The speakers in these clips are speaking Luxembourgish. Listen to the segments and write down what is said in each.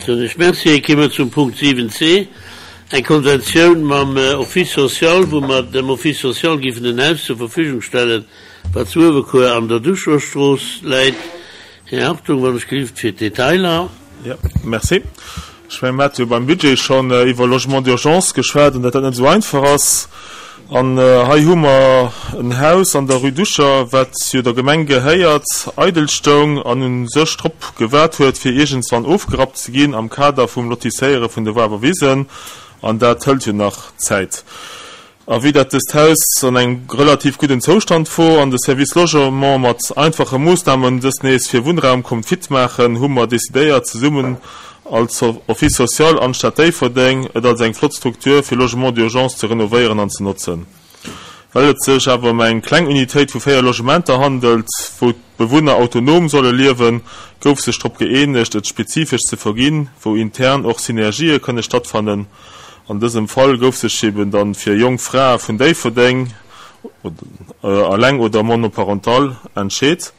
Soen ech Merci. Kéime mer zum Punkt 7c, eng Konventioun mam Office social, wou mer dem Office social géifen en Haus zur Verfügung stellen, wat zu Uewerkuer an der Duchosstrooss läit. Här Hartung, wann ech gelift, fir d'Detailer. Jo, merci. Ech mengen, mir hate jo beim Budget schonn iwwer Logement d'urgence geschwat an datt dat net esou einfach ass. An hei hu mer en Haus an der Rue Ducher, wat jo der Gemeng gehéiert, eidel stoung an u sech drop gewaart huet, fir iergendswann ofgerappt ze ginn am Kader vum Lotisséiere vun de Wawer Wisen. An dat hëlt jo nach Zäit. A vue dat dëst Haus an engem relativ gudden Zoustand wor an de Service Logement mat einfache Moossnamen dëst nees fir Wunnraum konnt fit maachen, hu mer decidéiert zesummen als Office social an d'Stad Déifferdeng et als eng flott Struktur fir Logement d'urgence ze renovéieren an ze notzen. Well et sech awer ëm eng kleng Unitéit vu 4 Logementer handelt, wou d'Bewunner autonom solle liewen, gouf sech drop gëeenegt et spezifesch ze verginn, wou intern och Synergië kënne stattfannen. An dësem Fall gouf sech eben dann fir jonk Frae vun Déifferdeng, alleng oder monoparental, entscheet.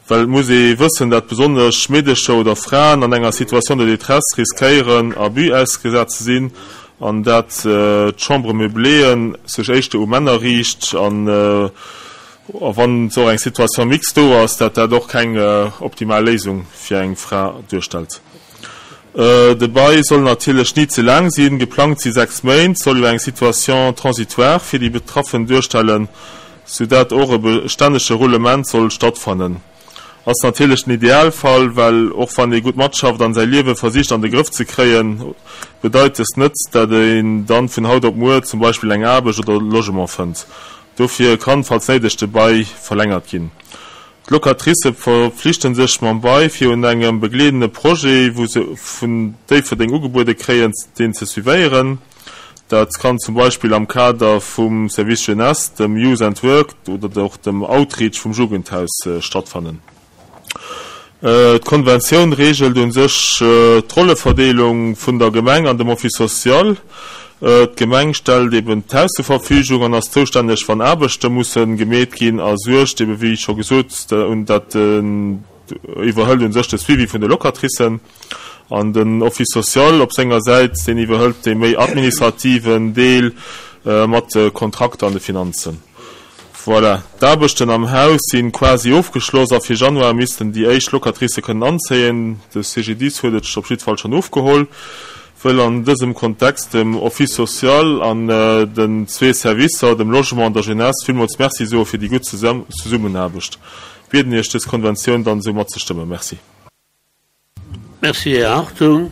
Well et muss ee wëssen, dat besonnesch Meedecher oder Fraen an enger Situation de détresse riskéieren Abus ausgesat ze sinn an dat d'Chambre meubléeën sech éischter u Männer riicht an wann och eng Situation mixte do ass, dat dat och keng optimal Léisung fir eng Fra duerstellt. De Bail soll natierlech ni ze laang sinn, geplangt si 6 Méint, soll jo eng Situation transitoire fir déi Betraffen duerstellen, sou dat och e bestännege Roulement soll stattfannen. Ass natierlech den Idealfall, well och wann ee gutt matschafft an säi Liewe versicht an de Grëff ze kréien, bedeit dëst net, dat een dann vun haut op muer zum Beispill eng Aarbecht oder Logement fënnt. Dofir kann, falls néideg, de Bail verlängert ginn. D'Locatricë verpflichte sech mam Bail fir un engem begleedende Projet, wou se vun Déifferdeng ugebuede kréien, deen ze suivéieren. Dat kann zum Beispill am Kader vum Service Jeunesse, dem Youth and Work oder och dem Outreach vum Jugendhaus stattfannen. D'Konventioun reegelt u sech d'Rolleverdeelung vun der Gemeng an dem Office social. D'Gemeng stellt eben d'Haus zur Verfügung an ass zoustänneg, wann Aarbechte musse gemeet ginn a suergt eben, wéi scho gesot, un dat iwwerhëlt u sech de Suivi vun de Locatricen. An den Office social op senger Säit, deen iwwerhëlt dee méi administrativen Deel mat de Kontrakter an de Finanzen. Voilà, d'Aarbechten am Haus si quasi ofgeschloss a fir Januar missten déi éischt Locatricë kënnen anzéien. De CGDIS huet et op jiddwer Fall schonn ofgeholl. Wëll an dësem Kontext dem Office social an den zwee Servicer, dem Logement an der Jeunesse, villmools Merci soe fir déi gutt Zesummenaarbecht. Bieden Iech dës Konventioun dann esou matzestëmmen. Merci. Merci, Här Hartung,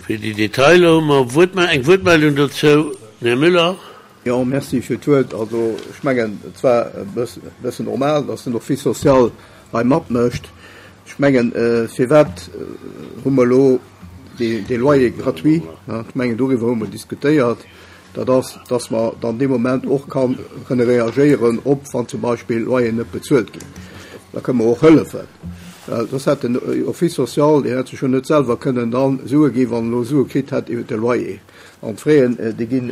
fir déi Detailer. Hu mer Wuertme eng Wuertmeldung dozou? Den Här Müller. Jo, merci fir d'Wuert. Also, ech mengen, et war e bëssen normal, dass den Office social hei matmécht. Ech mengen, firwat hu mer elo dee Loyer gratuit? Ech mengen, doriwwer hu mer diskutéiert. Dat ass, dass mer dann dee Moment och ka kënne reagéieren op, wann zum Beispill Loyeren net bezuelt ginn. Da kënne mer och hëllefen. Well soss hätt den Office social, deen hätt sech jo net selwer kënnen da Sue ginn, wann en elo Sue kritt hätt iwwert de Loyer. An d'Fraisen, déi ginn,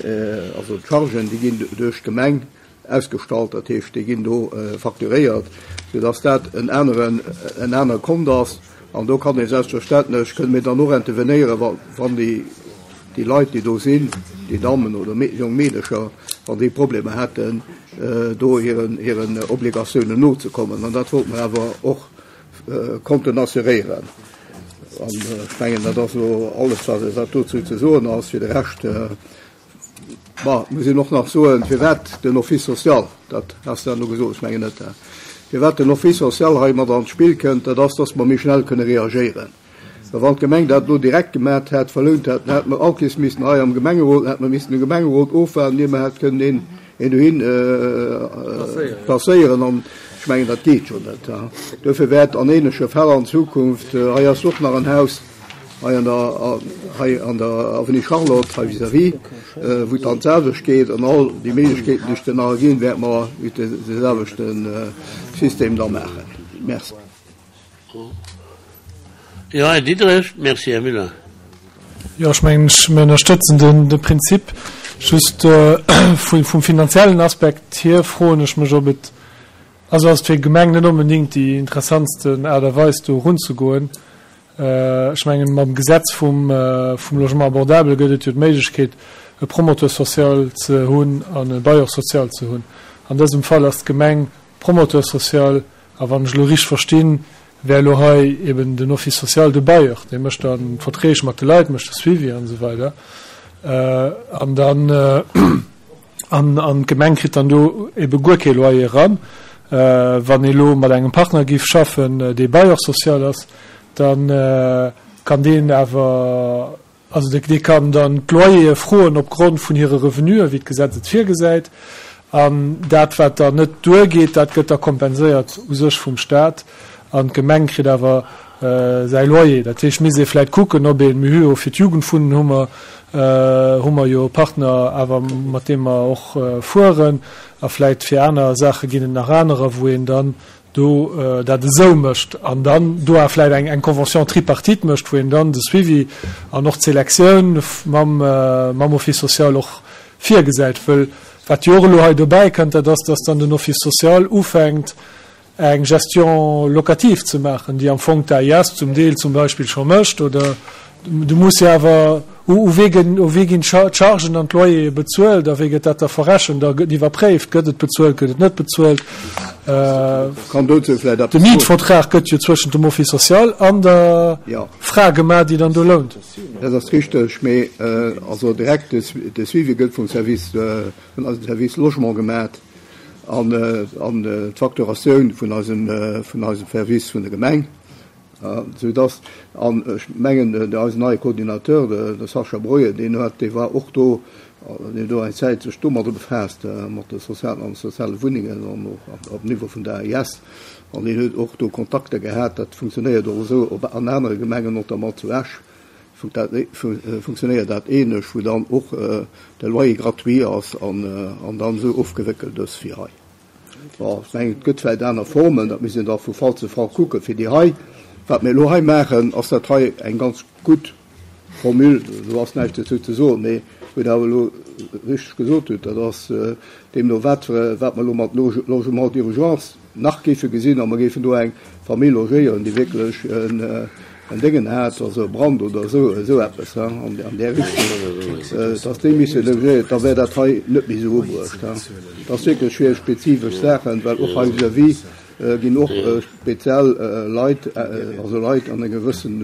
also d'Chargen, déi ginn duerch d'Gemeng ausgestallt, dat heescht, déi ginn do facturéiert, soudass dat en aneren, en anere Kont ass. An do kann ee selbstverständlech, kënne mir dann och intervenéieren, wa, wann déi, déi Leit, déi do sinn, déi Dammen oder jonk Meedercher, wann déi Problemer hätten, do hiren, hiren Obligatiounen nozekommen. An dat wollte mer awer och konnten assuréieren. An ech mengen, dat ass elo alles, wat, wat dozou ze soen ass. Fir de Rescht, Ma, muss een och nach soen, firwat den Office social, dat has de elo gesot, ech mengen net, firwat den Office social hei mat an d'Spill kënnt, dat ass, dass mer méi schnell kënne reagéieren. Well wann d'Gemeng dat elo direkt gemat hätt, verlount hätt, dann hätte mer all Kees missen hei am Gemengerot, dann hätte mer missen de Gemengerot ofwaarden, ier mer hätt kënnen een, een dohin placéieren. An ech mengen, dat geet jo net. Duerfir wäert an ähnleche Fäll an Zukunft, hei ass och nach en Haus, Hei an der, hei an der Avenue Charlotte, hei vis-à-vis, wou et dann d'selwecht geet, an all déi Méiglechkeeten, déi sech dann nach erginn, wäerte mer iwwer de selwechte System da maachen. Merci. Jo, Här Diderich. Merci, Här Müller. Jo, ech mengen, ech, mir ënnerstëtzen den, de Prinzip. Just vu, vum finanziellen Aspekt hier froen ech mech, ob et, also ass et fir d'Gemeng net onbedéngt déi interessantsten Aart a Weis, do erunzegoen. Ech mengen, mam Gesetz vum Logement abordable gëtt et jo d'Méiglechkeet, e Promoteur social ze hunn an e Bailleur social ze hunn. An dësem Fall ass d'Gemeng Promoteur social a wann ech elo richteg verstinn, wär elo hei eben den Office social de Bailleur. Dee mécht dann d'Verträg mat de Leit, mécht de Suivi an esou weider. An dann. An d'Gemeng kritt dann do ebe guer kee Loyer eran. Wann ee lo mat engem Partner géif schaffen, dee Bailleur social ass, da kann deen awer, also dee kann dann d'Loyere froen opgrond vun hire Revenuen, wéi d'Gesetz et virgesäit. An dat, wat dann net duergeet, dat gëtt da kompenséiert u sech vum Stat. An d'Gemeng kritt awer säi Loyer. Dat heescht, misst ee vläicht kucken, ob een, mir hu jo fir d'Jugendwunnen hu mer, hu mer jo e Partner awer, mat deem mer och fueren, a vläicht fir aner Saache ginn et nach anerer, wou een dann do dat esou mécht an dann do awer vläicht eng, eng Convention tripartite mécht, wou een dann de Suivi an och d'Selektioun mam, mam Office social och virgesäit. Wëll wat jo och elo hei dobäi kënnt, dat ass, dass dann den Office social ufänkt, eng Gestion locative ze maachen, déi am Fong d'AIS zum Deel zum Beispill scho mécht, oder du muss jo awer, u wee ginn, u wee ginn d'Chargen an d'Loyere bezuelt a wéi gëtt dat da verrechent a gëtt iwwerpréift, gëtt et bezuelt, gëtt et net bezuelt? Kann dozou vläicht eppes soen? De Mietvertrag gëtt jo zwëschent dem Office social an der Fra gemaach, déi dann do lount. Dat ass richteg, mee also direkt de Suivi gëtt vum Service, vun eisem Service Logement gemaach. an d'Facturatioun vun eisem vun eisem Service vun der Gemeng, sou dass, an ech mengen eisen neie Coordinateur, de Sascha Breuer, deen huet, dee war och do, deen huet do eng Zäit sech domadder befaasst, mat de sozialen an soziale Wunnengen an och op Niveau vun der AIS, an deen huet och do Kontakter gehat. Dat funktionéiert och esou op an anere Gemengen, notamment zu Esch. Funktionéiert dat ähnlech, wou dann och de Loyer gratuit ass an dann esou ofgewéckelt ass wéi hei. Bon, ech mengen, et gëtt vläicht aner Formen, dat misst een da vu Fall zu Fall kucken. Fir déi hei, wat mir elo hei maachen, ass dat hei eng ganz gutt Formule, do ass näischt dozou ze soen. Mee wou Der awer elo richteg gesot hutt, dat ass deemno wat, wat mer elo mat Logement d'urgence nach géife gesinn, a mer géifen do eng Famill logéieren, déi wierklech en Déngen hat, also e Brand oder esou, esou eppes an där Richtung, dass déi misse logéiert, da wär dat hei net méi esou ubruecht. Dat ass wierklech fir spezifesch Saachen, well och hei vis-à-vis ginn och speziell Leit, also Leit an engem gewëssen,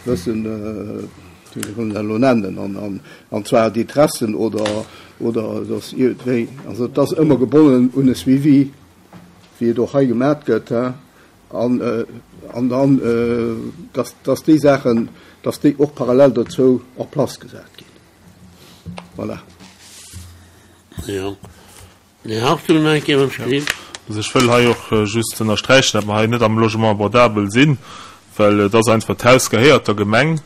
gewëssen, wéi soll een dat elo nennen, an zwar Détressen oder, oder dass iergendwéi, also et ass ëmmer gebonnen un e Suivi, wéi et och hei gemat gëtt, an, an dann, dass, dass déi Saachen, dass déi och parallel dozou en place gesat ginn. Voilà. Jo. Den Här Hartung nach eng Kéier beim Screen. Also ech wëll hei och just ënnersträichen, datt mer hei net am Logement abordable sinn, well et ass einfach, d'Haus gehéiert der Gemeng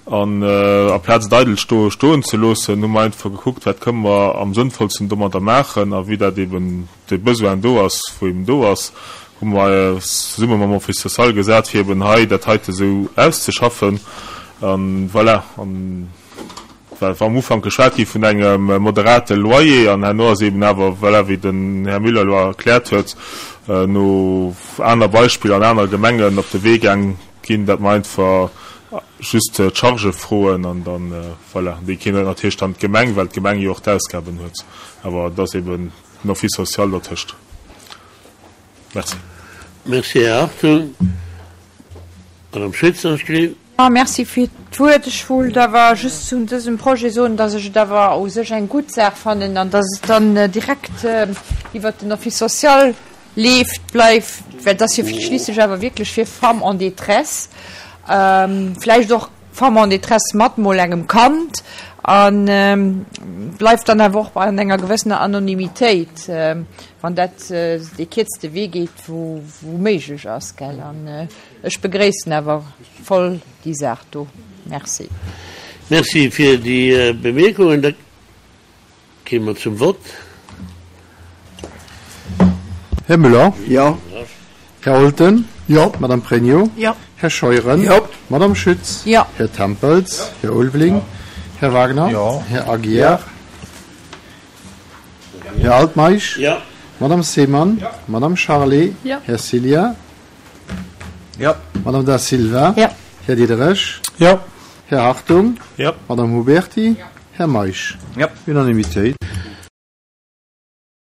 an aplaz et eidel sto stoen ze loossen, hu mer einfach gekuckt, wat kënne mer am sënnvollsten domadder maachen a wéi dat eben de Besoin do ass, wou eben do ass, hu mer eis zesumme mam Office social gesat, fir eben hei dat heite sou auszeschaffen. An voilà, an well war am Ufank geschwat gi vun engem moderate Loyer an herno ass eben awer, voilà, wéi den Här Müller elo erkläert huet, no aner Beispiller an anere Gemengen op de Wee gaang ginn, datt mer einfach just d'Chargë froen an dann, voilà, déi kritt natierlech dann d'Gemeng, well d'Gemeng jo och d'Ausgaben huet. Awer et ass eben den Office social dertëscht. Merci. Merci, Här Hartung. Madame Schütz, dann ech. Jo, merci fir d'Wuert. Ech wollt awer just zu dësem Projet soen, dass ech et awer u sech eng gutt Saach fannen an dass et dann direkt iwwert den Office social leeft, bleift, well et ass jo schliisslech awer wierklech fir Femmes en détresse, vläicht och Femmes en détresse mat mol engem Kand, a bleift dann awer och an enger gewëssener Anonymitéit, wann dat dee kierzte Wee geet, wou méiglech ass, gell. An ech begréissen awer voll déi Saach do. Merci. Merci fir déi Bemierkungen. Da Gi mer zum Vott. Här Müller? Jo. Här Olten? Jo. Madame Pregno? Jo. Här Scheuren? Jo. Madame Schütz? Jo. Här Tempels? Jo. Här Ulveling? Här Wagner? Jo. Här Aguiar? Här Altmeisch? Jo. Madame Seemann? Jo. Madame Charlé? Jo. Här Cillien? Jo. Madame Da Silva? Jo. Här Diderich. Jo. Här Hartung. Jo. Madame Huberty. Här Meisch. Jo. Unanimitéit.